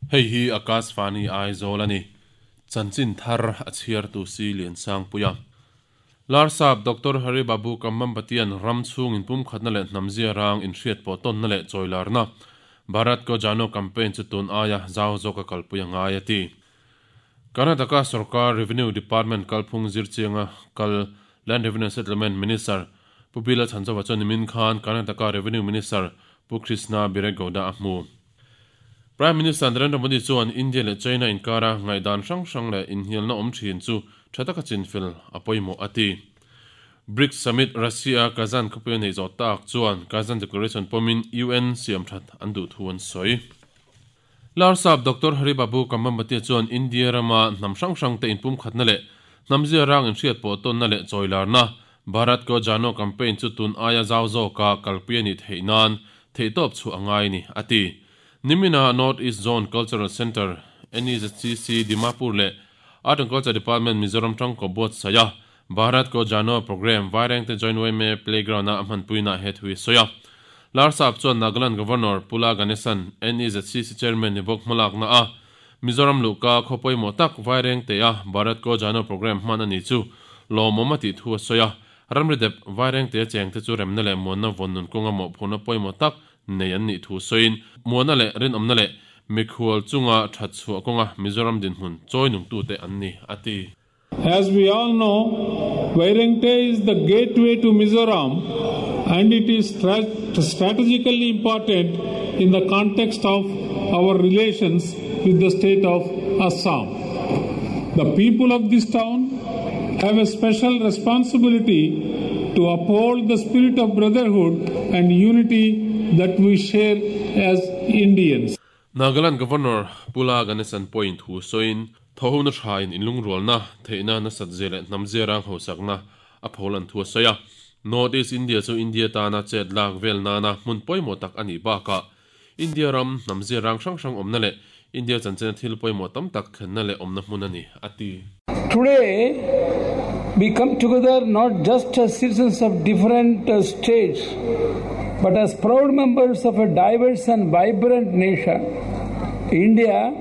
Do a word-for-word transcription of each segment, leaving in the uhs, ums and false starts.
Hei hi Akashvani Aizawl a ni. Chanchin thar a chhiar tu si Lian Sangpuia. Larsap Doctor Hari Babu Kambhampatian ram chhung in pum khatna leh hnamzia rang in hriat pawh tawnna leh chawilarna Bharat Ko Jano campaign chu tun aia zau zawka kalpui a ngai a ti. Karnataka Sarkar Revenue Department kalphung zirchianga kal Land Revenue Settlement Minister Pu Bila Chhanzova chuan nimin khan Karnataka Revenue Minister Pu Krishna Byregowda a hmu. Prime Minister Narendra Modi chuan India leh China inkara ngaihdan hrang hrang leh inhnialna awm thin chu tha taka chinfel a pawimawh a ti. BRICS Summit Russia Kazan khawpui a nei zawh tak chuan Kazan Declaration pawmin U N siam that an duh thu an sawi. Larsap Doctor Hari Babu Kambhampati chuan India rama hnam hrang hrang te inpum khatna leh hnamzia rang in hriat pawh tawnna leh chawilarna Bharat Ko Jano campaign chu tun aia zau zawka kalpui a nih theih nan theihtawp chu a ngai ni a ti. Nimina North East Zone Cultural Centre N E Z C C Dimapur leh Art and Culture Department Mizoram tangkaw buatsaih a Bharat Ko Jano program Vairengte Joint Y M A Playground a hmanpuina he thui sawi a. Larsap chuan Nagaland Governor Pula Ganesan N E Z C C Chairman ni bawk hmalakna a Mizoram luhka khaw pawimawh tak Vairengte a Bharat Ko Jano program hman a ni chu lawmawm a tih thu a sawi a. Ramri dep Vairengte chengte chu remna leh muanna vawn nun kawnga mawhphurhna pawimawh tak nei an nih thu sawiin muanna leh rinawmna leh mikhual chunga that chhuah kawnga Mizoram dinhmun chawi nungtute an ni a ti. As we all know, Vairengte is the gateway to Mizoram and it is strat-, strategically important in the context of our relations with the state of Assam. The people of this town have a special responsibility to uphold the spirit of brotherhood and unity that we share as Indians. Nagaland Governor Pula Ganesan point thu sawiin thohuna thain inlung rualna theihna na sat zele hnamzia rang hosakna a pholan thu sawi a. North East India chu India tana chet lak vel nana hmun pawimawh tak ani baka India ram hnamzia rang hrang hrang awmna leh India chanchena thil pawimawh tam tak thlenna leh awmna hmun ani a ti. Today we come together not just as citizens of different, uh, states but as proud members of a diverse and vibrant nation. India,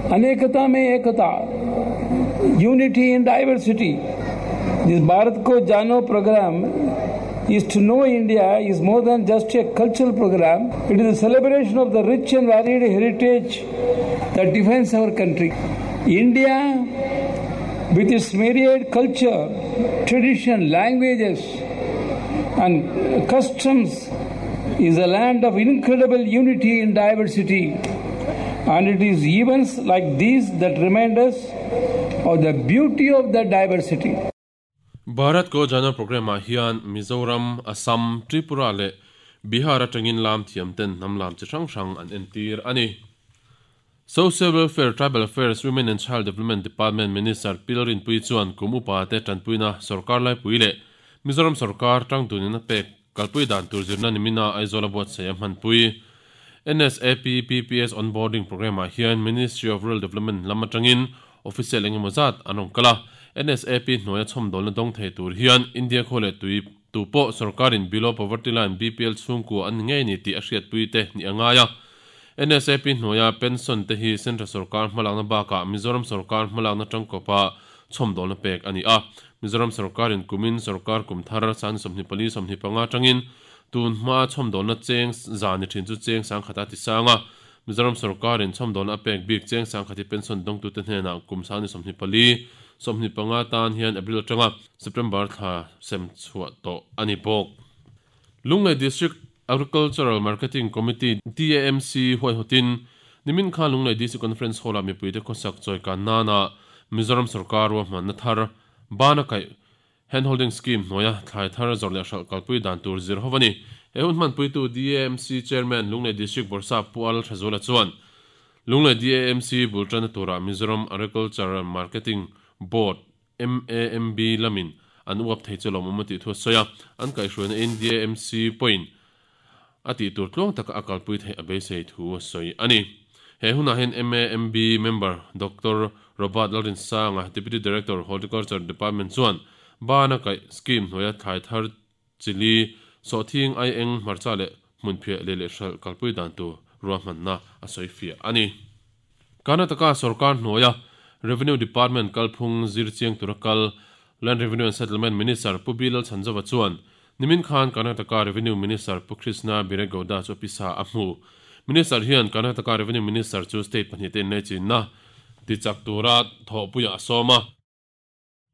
anekata mein ekata, unity in diversity. This Bharat Ko Jano program is to know India is more than just a cultural program. It is a celebration of the rich and varied heritage that defines our country. India, with its myriad culture, tradition, languages and customs, is a land of incredible unity in diversity. And it is events like these that remind us of the beauty of that diversity. Bharat Ko Jano program ah hian Mizoram, Assam, Tripura leh Bihar atangin lam thiam ten hnam lam chi hrang hrang an entir ani. Social Welfare, Tribal Affairs, Women and Child Development Department Minister Pilarin Pui chuan kum upa te tanpuina sarkar lai pui leh Mizoram sarkar tang tunin a pek kalpui dan tur zirna nimina Aizawl a buatsaih a hmanpui. N S A P P P S onboarding program ah hian Ministry of Rural Development lam atangin official engemaw zat an awm kal a. N S A P hnuaia chhawmdawlna dawng thei tur hian India khaw leh tui tu pawh sarkarin below poverty line B P L chhungkua an ni ngei ni tih a hriatpui te ni a ngai a. N S A P hnuaia pension te hi Central sarkar hmalakna bakah Mizoram sarkar hmalakna tangkawpa chhawmdawlna pek ani a. Mizoram sarkarin kumin sarkar kum thar san sawmhnih pali sawmhnih panga tangin tun hma chhawmdawlna cheng zani thin chu cheng sang khata ti sanga. Mizoram sarkarin chhawmdawlna a pek bik cheng sang khati pension dawngtu te hnenah kum san sawmhnih pali sawmhnih panga tan hian April atanga September thla sem chhuah tawh ani bawk. Lunglei District Agricultural Marketing Committee D A M C huaihotin nimin khan Lunglei D C Conference Hall ah mipuite khawsak chawi kan nana Mizoram sarkar ruahmanna thar bana kai handholding scheme hnuaia thlai thar zawrh leh hralh kalpui dan tur zir ho ani. He hun hmanpuitu D A M C Chairman Lunglei District Bawrhsap Pu Al Thazola chuan Lunglei D A M C bultana tura Mizoram Agricultural Marketing Board M A M B lamin an uap thei chu lawmawm a tih thu a sawi a. An kaihhruaina in D A M C pawhin a tih tur tluang taka a kalpui theih a beisei thu a sawi ani. He hunah hian M A M B member Doctor Robert Lalrin Sanga, Deputy Director Horticulture Department chuan bana kai scheme hnuaia thlai thar chili sawhthing ai eng hmarcha leh hmunphiah leh leh hralh kalpui dan tur ruahmanna a sawi fiah ani. Karnataka Sarkar hnuaia Revenue Department kalphung zirchiang tura kal Land Revenue and Settlement Minister Pu Bilal Chanzova chuan nimin khan Karnataka Revenue Minister Pu Krishna Biregowda chu pisa a hmu. Minister hian Karnataka Revenue Minister chu state pahnih te nei chinna ti chak tura thawhpuia a sawma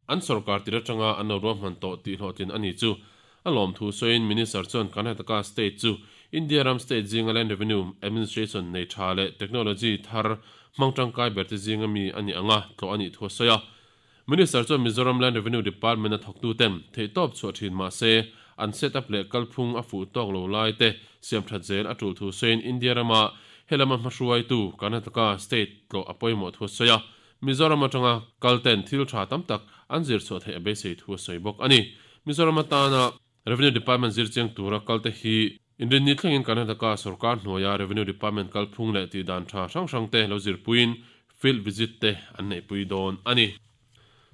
an sarkar tira tanga an lo ruahman tawh tih hlawhtlin ani chu a lawm thu sawiin Minister chuan Karnataka state chu India ram state zinga Land Revenue Administration nei tha leh technology thar hmangtangkai ber te zinga mi ani anga tlo ani thu sawi a. Minister chuan Mizoram Land Revenue Department a thawktu ten theihtawp chhuah thin mah se an set up leh kalphung a fuh tawk lo lai te siam that zel a tul thu sawiin India rama helama hmahruai tu Karnataka state tlo a pawimawh thu sawi a. Mizoram atanga kalten thil tha tam tak an zir chhuah theih a beisei thu sawi bawk ani. Mizoram atana Revenue Department zirchiang tura kalte hi Indian ni thlengin Karnataka sarkar hnuaia Revenue Department kalphung leh ti dan tha hrang hrang te lo zirpuiin field visit te an nei pui dawn ani.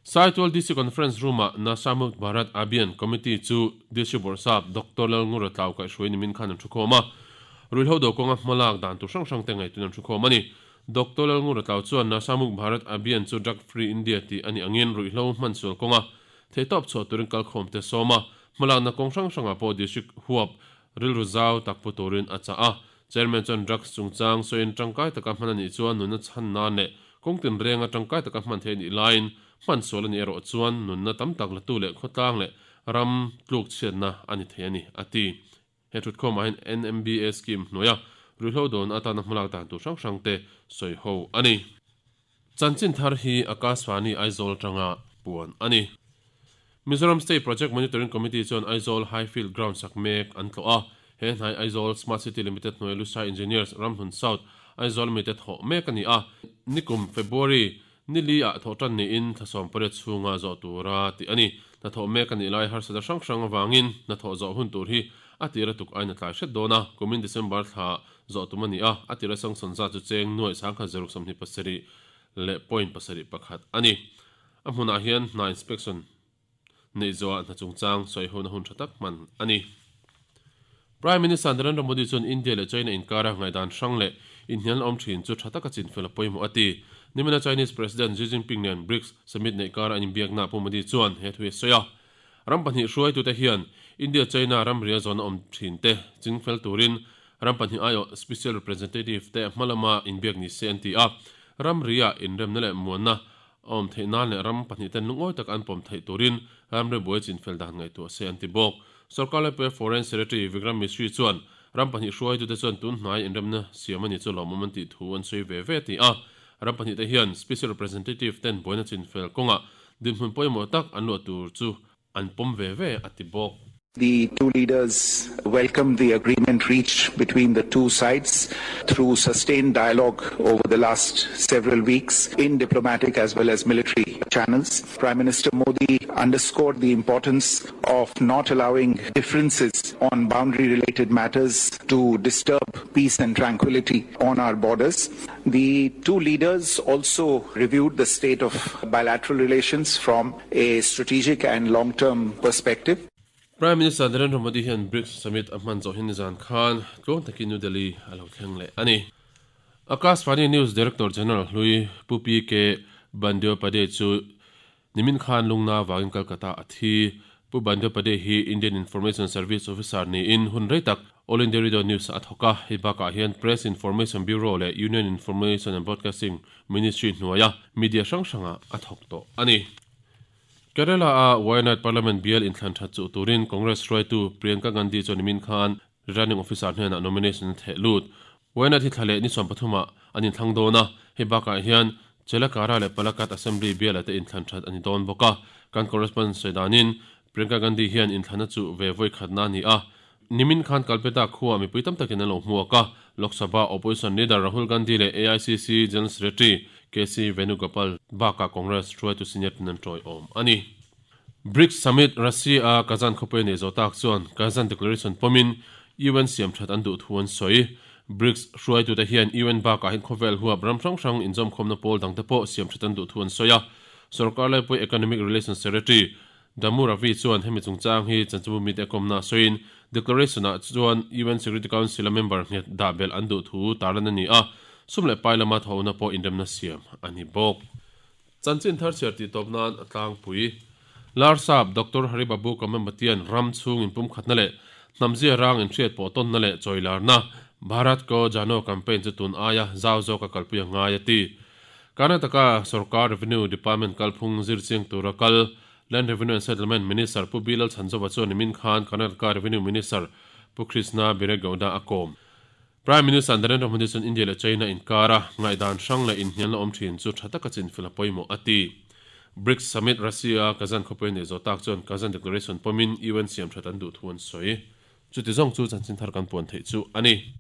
Saitual D C Conference Room a Nasha Mukt Bharat Abhiyan Committee chu D C Borsap Doctor Lalngura Tlau kai hruai nimin khan an thu khawm a. Ruihhlo do kawnga hmalak dan tur hrang hrang te ngaihtuin an thu khawm ani. Doctor Lalngura Tlau chuan Nasha Mukt Bharat Abhiyan chu Drug Free India ti ani angin ruihhlo hman sual kawnga theihtawp chhuah turin kalkhawm te sawm a. Hmalak na kawng hrang hrangah pawh district huap rilru zau tak pu turin a chah a. Chairman chuan drugs chungchang sawiin tangkai taka hman ani chuan nunna chhan nan leh kawngtin renga tangkai taka hman thei anih laiin hman sual ani erawh chuan nunna tam tak latu leh khawtlang leh ram tluk chhiatna ani thei ani a ti. He thutkhawmah hian N M B A scheme hnuaia ruihhlo dawn atana hmalak dan tur hrang hrang te sawi ho ani. Chanchin thar hi Akashvani Aizawl tanga puan ani. Mizoram State Project Monitoring Committee chuan Aizawl Highfield Ground sak mek an tlo a. He hnai Aizawl Smart City Limited hnuai Lusai Engineers Ramhun South Aizawl Limited thawh mek ani a. Nikum February nili a thawh tan niin thlasawm pariat chhunga zawh tura ti ani. Na thawh mek ani lai harsata hrang hrang awangin na thawh zawh hun tur hi a tira tuk aina tlai hret dawn a. Kumin December thla zawh tum ani a. A tira sangsawn za chu cheng nuai sangkhat zaruk sawmhnih pasarih leh point pasarih pakhat ani. A hmunah hian hna inspection nei zawh hna chungchang sawi ho na hun tha tak hman ani. Prime Minister Narendra Modi chuan India leh China inkara ngaidan hrang leh inhnial awm thin chu tha taka chin fel a pawimawh a ti. Nimina Chinese President Xi Jinping nen BRICS summit nei kara an inbiakna Pu Modi chuan he thu a sawi a. Ram pahnih hruai tute hian India China ram ria zawn a awm thin te chingfel turin ram pahnih aiawh special representative te hmalama inbiak ni se an ti a. Ram ria inremna leh muanna awm theih nan leh ram pahnih ten lungawi tak an pawm theih turin ram ri buai chinfel dan ngaihtuah se an ti bawk. Sarkar Lepe Foreign Secretary Vikram Misri chuan ram pahnih hruai tute chuan tun hnai inremna siam ani chu lawmawm an tih thu an sawi ve ve ti a. Ram pahnih te hian special representative ten buaina chinfel kawnga dinhmun pawimawh tak an luah tur chu an pawm ve ve a ti bawk. The two leaders welcomed the agreement reached between the two sides through sustained dialogue over the last several weeks in diplomatic as well as military channels. Prime Minister Modi underscored the importance of not allowing differences on boundary-related matters to disturb peace and tranquility on our borders. The two leaders also reviewed the state of bilateral relations from a strategic and long-term perspective. Prime Minister Narendra Modi hian BRICS Summit a hman zawh hin nizan khan tluang takin New Delhi a lo thleng leh ani. Akashvani News Director General Hlui Pu P K Bandyopadhyay chu nimin khan lungna wangin Kolkata a thi. Pu Bandyopadhyay hi Indian Information Service Officer ni in hun rei tak All India Radio News a thawk a. Hei bakah hian Press Information Bureau leh Union Information and Broadcasting Ministry hnuaia media hrang hranga a thawk tawh ani. Kerala a Wayanad Parliament bial inthlan that chu turin Congress hruaitu Priyanka Gandhi chuan nimin khan returning officer hnenah nomination theh lut. Wayanad hi thlale ni sawm pathuma an inthlang dawn a. Hei bakah hian Chelakara leh Palakkad Assembly bial ate inthlan that ani dawn bawk a. Kan correspondent sawidanin Priyanka Gandhi hian inthlana chu ve voi khatna ni a. Nimin khan Kalpetta khuwa mipui tam takin an lo hmuak a. Lok Sabha opposition leader Rahul Gandhi leh A I C C General Secretary K C Venugopal baka Congress hruaitu senior tin an tawi awm ani. BRICS Summit Russia a Kazan khawpui nei zawh tak chuan Kazan Declaration pawmin U N siam that an duh thu an sawi. BRICS hruaitu te hian U N bakah hian khawvel huap ram hrang hrang inzawm khawmna pawl dang te pawh siam that an duh thu an sawi a. Sarkar Laipui Economic Relations Secretary Damu Ravi chuan hemi chungchang hi chanchimbu mi te kawmna sawiin declaration ah chuan U N Security Council a member nghet dah bel an duh thu tarlan ani a. Sum leh pai lama thawhna pawh inremna siam a ni bawk. Chanchin thar chhiar tih tawp nan a tlangpui. Larsap Doctor Haribabu Kambhampatian ram chhung inpum khatna leh hnamzia rang inhriat pawh tawnna leh chawilarna Bharat Ko Jano campaign chu tun aia zau zawka kalpui a ngai a ti. Karnataka Sarkar Revenue Department kalphung zir chiang tura kal Land Revenue and Settlement Minister Pu Bilal Chanzova chuan nimin khan Karnataka Revenue Minister Pu Krishna Byregowda a kawm. Prime Minister Narendra Modi chuan India leh China inkara ngaihdan hrang leh inhnialna awm thin chu tha taka chin fil a pawimawh a ti. BRICS Summit Russia Kazan khawpui nei zawh tak chuan Kazan Declaration pawmin U N siam that an duh thu an sawi. Chuti zawng chu chanchin thar kan puan theih chu a ni.